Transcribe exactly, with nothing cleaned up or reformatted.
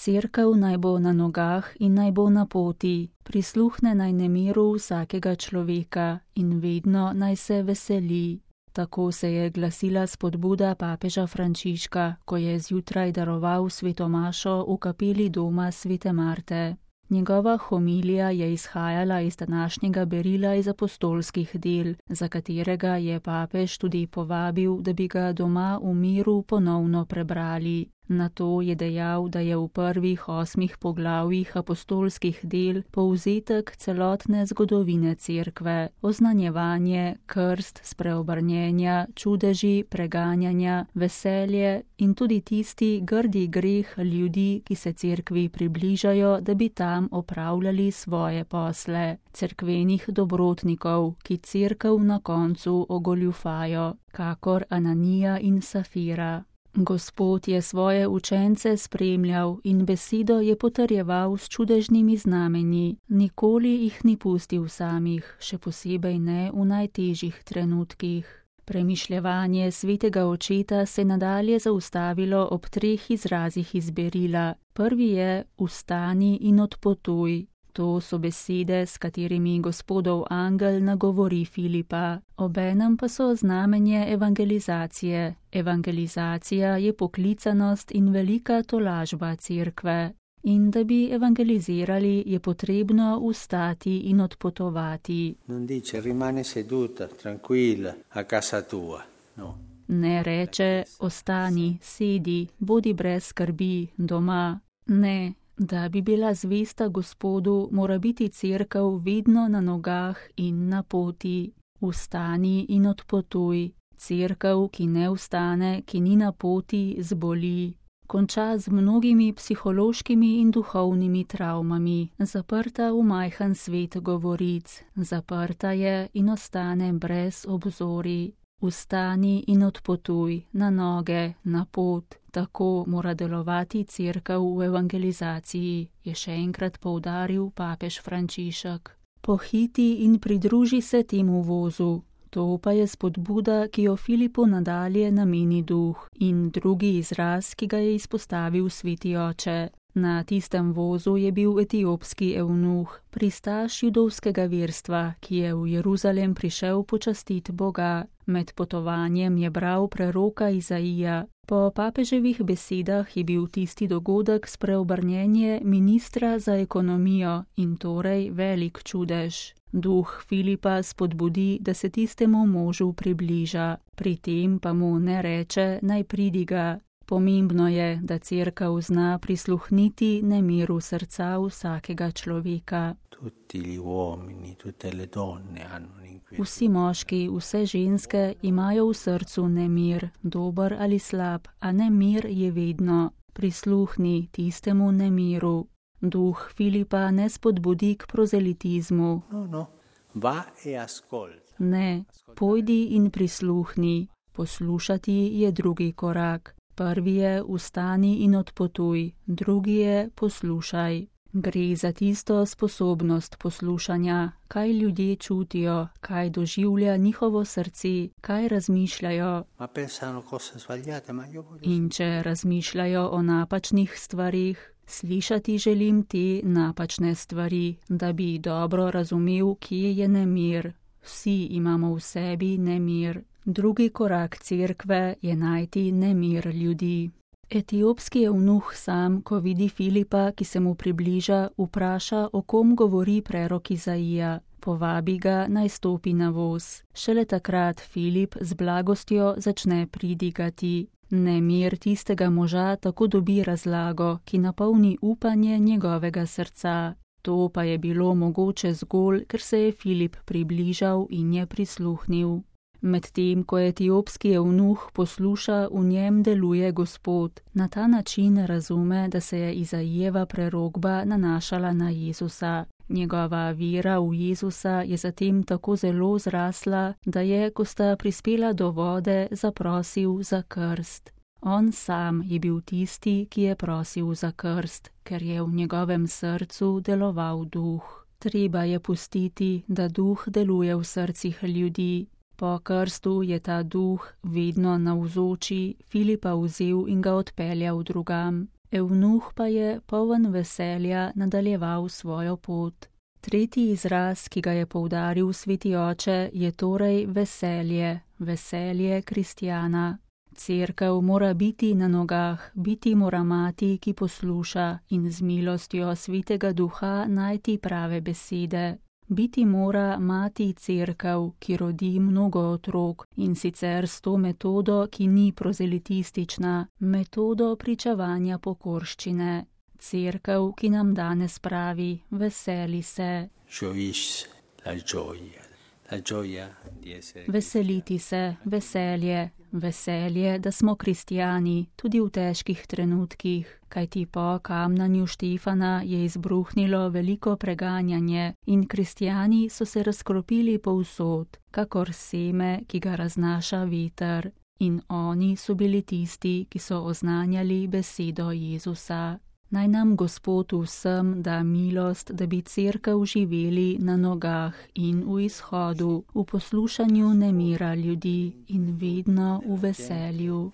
Cerkev naj bo na nogah in naj bo na poti, prisluhne naj nemiru vsakega človeka in vedno naj se veseli. Tako se je glasila spodbuda papeža Frančiška, ko je zjutraj daroval sveto mašo v kapeli doma svete Marte. Njegova homilija je izhajala iz današnjega berila iz apostolskih del, za katerega je papež tudi povabil, da bi ga doma v miru ponovno prebrali. Nato je dejal, da je v prvih osmih poglavjih apostolskih del povzetek celotne zgodovine cerkve, oznanjevanje, krst, spreobrnjenja, čudeži, preganjanja, veselje in tudi tisti grdi greh ljudi, ki se cerkvi približajo, da bi tam opravljali svoje posle, cerkvenih dobrotnikov, ki cerkev na koncu ogoljufajo, kakor Ananija in Safira. Gospod je svoje učence spremljal in besedo je potrjeval s čudežnimi znamenji, nikoli jih ni pustil samih, še posebej ne v najtežjih trenutkih. Premišljevanje svetega očeta se nadalje zaustavilo ob treh izrazih iz berila. Prvi je vstani in odpotuj. To so besede, s katerimi Gospodov angel nagovori Filipa, obenem pa so znamenje evangelizacije. Evangelizacija je poklicanost in velika tolažba cerkve. In da bi evangelizirali, je potrebno vstati in odpotovati. Non dice rimane seduta, tranquilla, a casa tua. No. Ne reče, ostani, sedi, bodi brez skrbi, doma. Ne. Da bi bila zvesta Gospodu, mora biti cerkev vedno na nogah in na poti. Vstani in odpotuj. Cerkev, ki ne vstane, ki ni na poti, zboli. Konča z mnogimi psihološkimi in duhovnimi travmami, zaprta v majhen svet govoric, zaprta je in ostane brez obzori. Vstani in odpotuj, na noge, na pot. Tako mora delovati cerkev v evangelizaciji, je še enkrat poudaril papež Frančišek. Pohiti in pridruži se temu vozu. To pa je spodbuda, ki jo Filipu nadalje nameni duh, in drugi izraz, ki ga je izpostavil sveti oče. Na tistem vozu je bil etiopski evnuh, pristaš judovskega verstva, ki je v Jeruzalem prišel počastit Boga. Med potovanjem je bral preroka Izaija. Po papeževih besedah je bil tisti dogodek spreobrnjenje ministra za ekonomijo in torej velik čudež. Duh Filipa spodbudi, da se tistemu možu približa, pri tem pa mu ne reče, naj pridiga. Pomembno je, da cerkev zna prisluhniti nemiru srca vsakega človeka. Vsi moški, vse ženske imajo v srcu nemir, dober ali slab, a nemir je vedno. Prisluhni tistemu nemiru. Duh Filipa ne spodbudi k prozelitizmu. No, no. Va e ascolta. Ne, pojdi in prisluhni. Poslušati je drugi korak. Prvi je vstani in odpotuj, drugi je poslušaj. Gre za tisto sposobnost poslušanja, kaj ljudje čutijo, kaj doživlja njihovo srce, kaj razmišljajo. In če razmišljajo o napačnih stvarih, slišati želim te napačne stvari, da bi dobro razumel, kje je nemir. Vsi imamo v sebi nemir. Drugi korak cerkve je najti nemir ljudi. Etiopski evnuh sam, ko vidi Filipa, ki se mu približa, vpraša, o kom govori prerok Izaija. Povabi ga, naj stopi na voz. Šele takrat Filip z blagostjo začne pridigati. Nemir tistega moža tako dobi razlago, ki napolni upanje njegovega srca. To pa je bilo mogoče zgolj, ker se je Filip približal in je prisluhnil. Medtem ko etiopski evnuh posluša, v njem deluje Gospod. Na ta način razume, da se je Izaijeva prerokba nanašala na Jezusa. Njegova vera v Jezusa je zatem tako zelo zrasla, da je, ko sta prispela do vode, zaprosil za krst. On sam je bil tisti, ki je prosil za krst, ker je v njegovem srcu deloval duh. Treba je pustiti, da duh deluje v srcih ljudi. Po krstu je ta duh vedno navzoči Filipa vzel in ga odpeljal drugam. Evnuh pa je poln veselja nadaljeval svojo pot. Tretji izraz, ki ga je poudaril sveti oče, je torej veselje, veselje kristjana. Cerkev mora biti na nogah, biti mora mati, ki posluša in z milostjo svetega duha najti prave besede. Biti mora mati cerkev, ki rodi mnogo otrok in sicer s to metodo, ki ni prozelitistična, metodo pričevanja pokorščine. Cerkev, ki nam danes pravi, veseli se. Veseliti se, veselje, veselje, da smo kristjani, tudi v težkih trenutkih, kajti po kamnanju Štefana je izbruhnilo veliko preganjanje in kristjani so se razkropili povsod, kakor seme, ki ga raznaša veter. In oni so bili tisti, ki so oznanjali besedo Jezusa. Naj nam Gospod vsem da milost, da bi cerkev živeli na nogah in v izhodu, v poslušanju nemira ljudi in vedno v veselju.